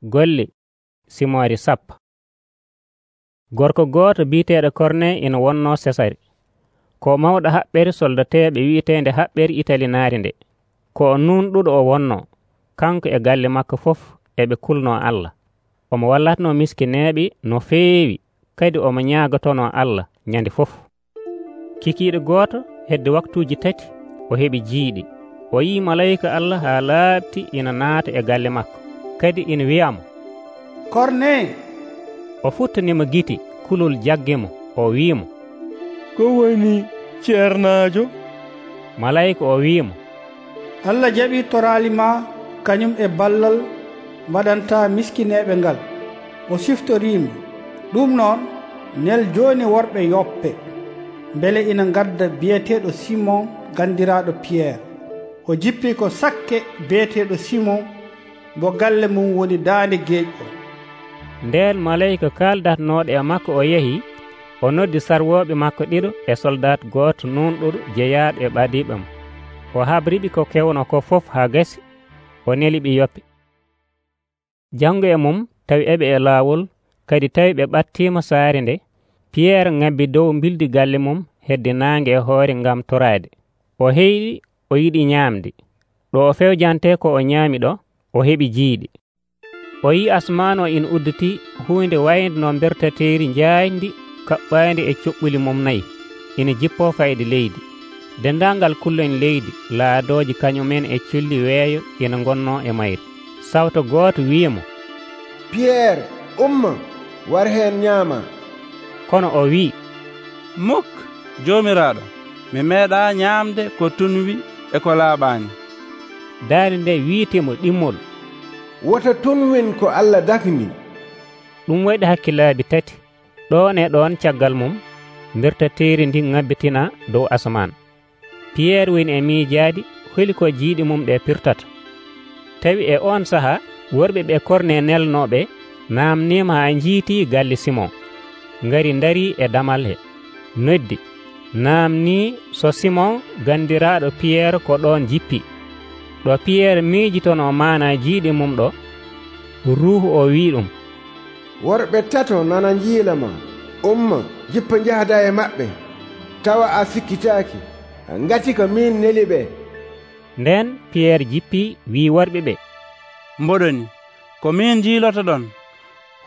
Golle simoori sappo. Gorko gooto biiteeɗo Korne ina wonnoo Sesare. Ko mawɗo haɓɓere soldateeɓe wi'eteende haɓɓere Italinaari nde. Ko o nuunuɗo o wonnoo, kanko e galle makko fof eɓe kulnoo Allah. Omo wallatnoo miskineeɓe no feewi, kadi omo ñaagotonoo Allah nyande fof. Kikiiɗo gooto hedde waktuuji 3 o heɓi jiiɗi. O yii malayika Allah haa laaɓti ina naata e galle makko, kadi ina wi'amo, Korne. O futtanimo gite, kulol jaggi mo. O wi'imo, ko woni ceernaajo? Malayika o wi'imo, Allah jaɓii toraali ma kañum e ballal mbaɗantaa miskineeɓe ngal. O siftoriima. Ɗum noon nel jooni worɓe Yoppe, mbele ina ngadda biyeteeɗo Simon gandiraaɗo Piyeer. O jippii ko sakke biyeteeɗo Simon, mo galle mum woni daande geeƴ o. Ndeen malayika kaaldatnooɗo e makko o yahii, o noddi sarwooɓe makko ɗiɗo e soldat gooto nuunuɗo jeyaaɗo e ɓadiiɓe mo. O habriɓe ko kewno ko fof haa gasi, o neliɓe Yoppe. Janngo e mum tawi eɓe e laawol, kadi tawi ɓe ɓattiima saare nde, Piyeer ŋabbi dow mbildi galle mum hedde naange e hoore ngam toraade. O heyɗi, o yiɗi ñaamde. Ɗo o fewjante ko o ñaami ɗo, o heɓi jiiɗi. O yii asmaan o ina udditii huunde wayde no bertateeri njaaƴndi kaɓɓaandi e coɓɓuli mum 4 ina jippoo fayde leydi. Denndaangal kulloñ leydi laadooji kañumen e colli weeyo ina ngonnoo e mayre. Sawto gooto wi'imo, Piyeer, umma, war heen ñaama. Kono o wi'i, Muk, Joomiraaɗo, mi meeɗaa ñaamde ko tunwi e ko laaɓaani. Daande nde wi'etimo ɗimmol. Wota tunwin ko Allah dakni. Ɗum waɗi hakkilaaji 3. Ɗoon e ɗoon caggal mum, bertateeri ndi ŋabbitina dow asaman. Piyeer woni e miijaadi, holi ko jiiɗi mum ɗe pirtata. Tawi e on sahaa worɓe ɓe Korne nelnooɓe naamniima haa njiitii galle Simon. Ngari ndarii e damal he, noddi, naamnii so Simon gandiraaɗo Piyeer ko ɗoon jippi. Ɗo Piyeer miijitonoo maana jiiɗi mum ɗo, Ruuhu o wi'i ɗum, Worɓe 3 nana njiila ma. Umma, jippa njahda e maɓɓe, tawa a sikkitaaki, ngati ko min neli ɓe. Nden Piyeer jippii wii worɓe ɓe, Mboɗoni, ko min jiiloto ɗon.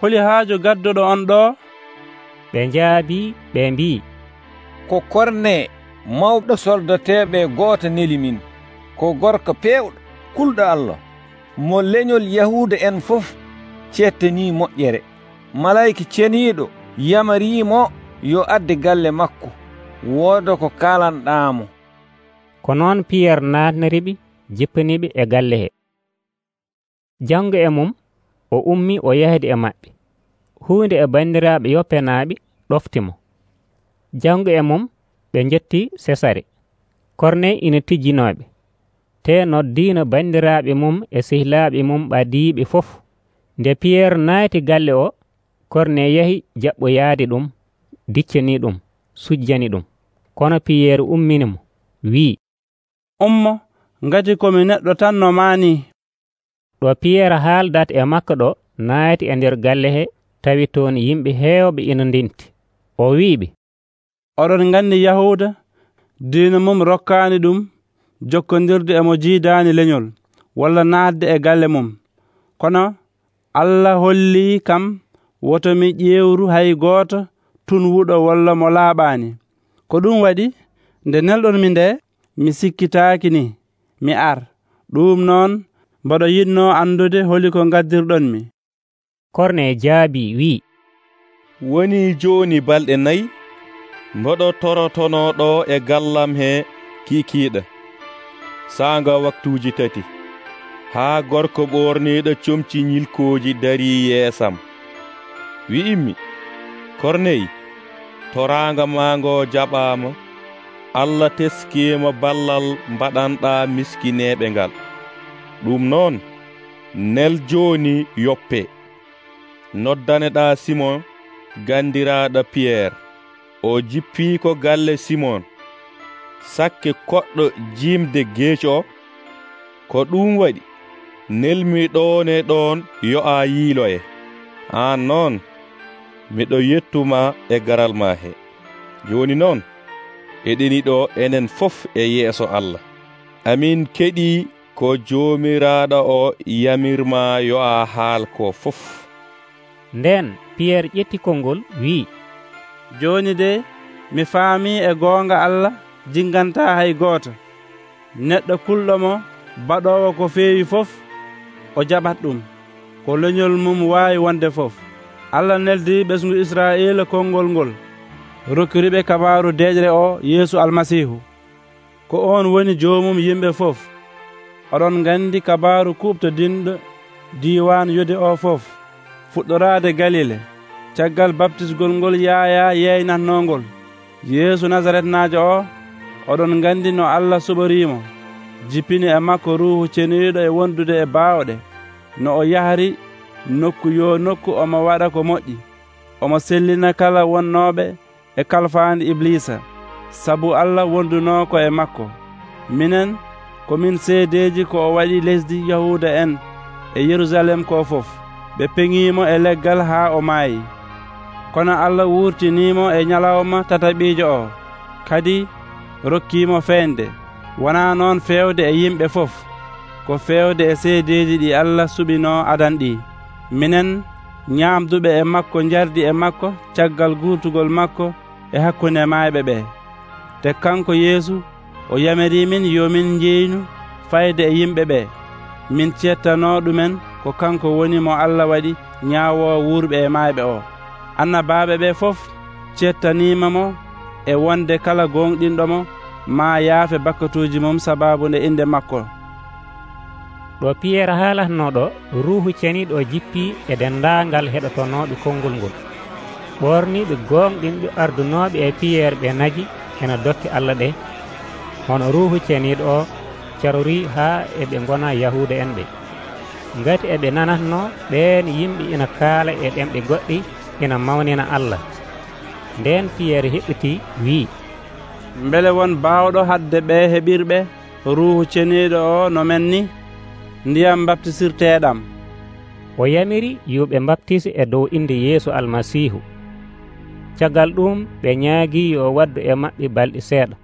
Holi haaju gadduɗo on ɗo? Ɓe njaabii ɓe mbii, Ko Korne, mawɗo soldateeɓe gooto neli min. Ko gorko peewɗo kulɗo Allah, mo leñol Yahuuda en fof cettanii moƴƴere. Malayika ceniiɗo yamariimo yo adde galle makko, wooda ko kaalanɗaamo. Ko noon Piyeer naatnoriɓe, jippaniɓe e galle he. Janngo e mum, o ummii o yahdi e maɓɓe. Huunde e banndiraaɓe Yoppenaaɓe ɗoftimo. Janngo e mum, ɓe njettii Sesare. Korne ina tijjinooɓe. Te noddiino banndiraaɓe mum e sehilaaɓe mum ɓadiiɓe fof. Nde Piyeer naati galle o, Korne yahi jaɓɓoyaade ɗum, diccanii ɗum, sujjani ɗum. Kono Piyeer umminimo, wi'i, Ummo, ngati komi neɗɗo tan no maani. Ɗo Piyeer haaldata e makko ɗo naati e nder galle he, tawi toon yimɓe heewɓe ina ndenti. O wi'iɓe, Oɗon nganndi Yahuuda, diina mum rokkaani ɗum jokkondirde e mo jiidaani leñol, walla naatde e galle mum. Kono Allah hollii kam woto mi ƴeewru hay gooto tunwuɗo walla mo laaɓaani. Ko ɗum waɗi, nde nelɗon mi nde, mi sikkitaaki ni, mi ar. Ɗum noon mboɗo yiɗnoo andude holi ko ngaddirɗon mi. Korne jaabii wi'i, Woni jooni balɗe 4 mboɗo torotonoo ɗo e gallam he kiikiiɗo. Saanga waktuuji 3, haa gorko ɓoorniiɗo comci ñilkooji darii yeesam. Wi'immi, Korney, toraanga maa ngoo jaɓaama. Allah teskiima ballal mbaɗanɗaa miskineeɓe ngal. Ɗum noon, nel jooni Yoppe. Noddaneɗaa Simon gandiraaɗo Piyeer. O jippii ko galle Simon. Sakke koɗɗo jiimde geeci o. Ko ɗum waɗi nelmi ɗon e ɗon yo'a yiiloye. An noon miɗo yettuma e garal ma he. Joni noon eɗeni ɗo enen fof e yeeso Allah. Amin keɗi ko Joomiraaɗo o yamirma yo'a haal ko fof. Nden Piyerre ƴetti konngol wi'i, joni de mi faami e goonga Allah jinganta hay gooto. Neɗɗo kulɗomo baɗowo ko feewi fof o jaɓat ɗum, ko leñol mum waawi wonde fof. Allah neldi ɓesngu Israa'ila konngol ngol, rokkiriɓe kabaru deƴre o Yeesu Almasihu, ko on woni joomum yimɓe fof. Oɗon gandi kabaru kuɓtodinɗo diwan Yude o fof, fuɗɗorade Galile, caggal baptisgol ngol Yaya yeynatnongol. Yeesu Nasaretnajo o, oɗon gandi no Allah suɓorimo, jippini e makko Ruuhu Ceniiɗo e wondude e baawɗe, no o yahri nokku yo nokku omo waɗa ko moƴƴi, omo sellina kala wonnooɓe e kalfaandi Iblisa, sabu Allah wondunoko e makko. Minen komin seedeji ko o waɗi lesdi Yahuda en e Yerusalem ko fof. Ɓe peŋimo e leggal haa o maayi. Kono Allah wurtinimo e nyalawma tataɓiijo o, kadi rokkimo feende, wona noon fewde e yimɓe fof, ko fewde e seedeji ɗi Allah suɓino adan ɗi. Minen ñaamduɓe e makko jardi e makko caggal gurtugol makko e hakkunde maayɓe ɓe. Te kanko Yeesu o yamirimin yo min jeynu fayde e yimɓe ɓe, min cettano ɗumen ko kanko woni mo Allah waɗi ñaawo wurɓe e maayɓe o. Annabaaɓe ɓe fof cettanimamo e wonde kala gonɗinɗomo ma yaafe bakkatuji mum sababu nde inde makko. ɗo Piyerre haalatnoɗo, Ruuhu Ceniiɗo o jippi e dendaangal heɗotonoɓe konngol ngol. ɓorniɓe gonɗinɓe ardunoɓe e Piyerre ɓe naji ena dokke Allah ɗe, hono Ruuhu Ceniiɗo o carori haa eɓe gona Yahuda en ɓe. Ngati eɓe nanatno ɓeen yimɓe ina kaala e ɗemɗe goɗɗi ina mawnina Allah. Nden Piyerre heɓɓiti wi'i, mbele won baawɗo hadde ɓe heɓirɓe Ruuhu Ceniiɗo o no men ni ndiyam baptisirteɗam. o yamiri yo ɓe baptise e dow inde Yeesu Almasihu. Caggal ɗum ɓe ñaagi yo waddu e maɓɓe balɗe seeɗa.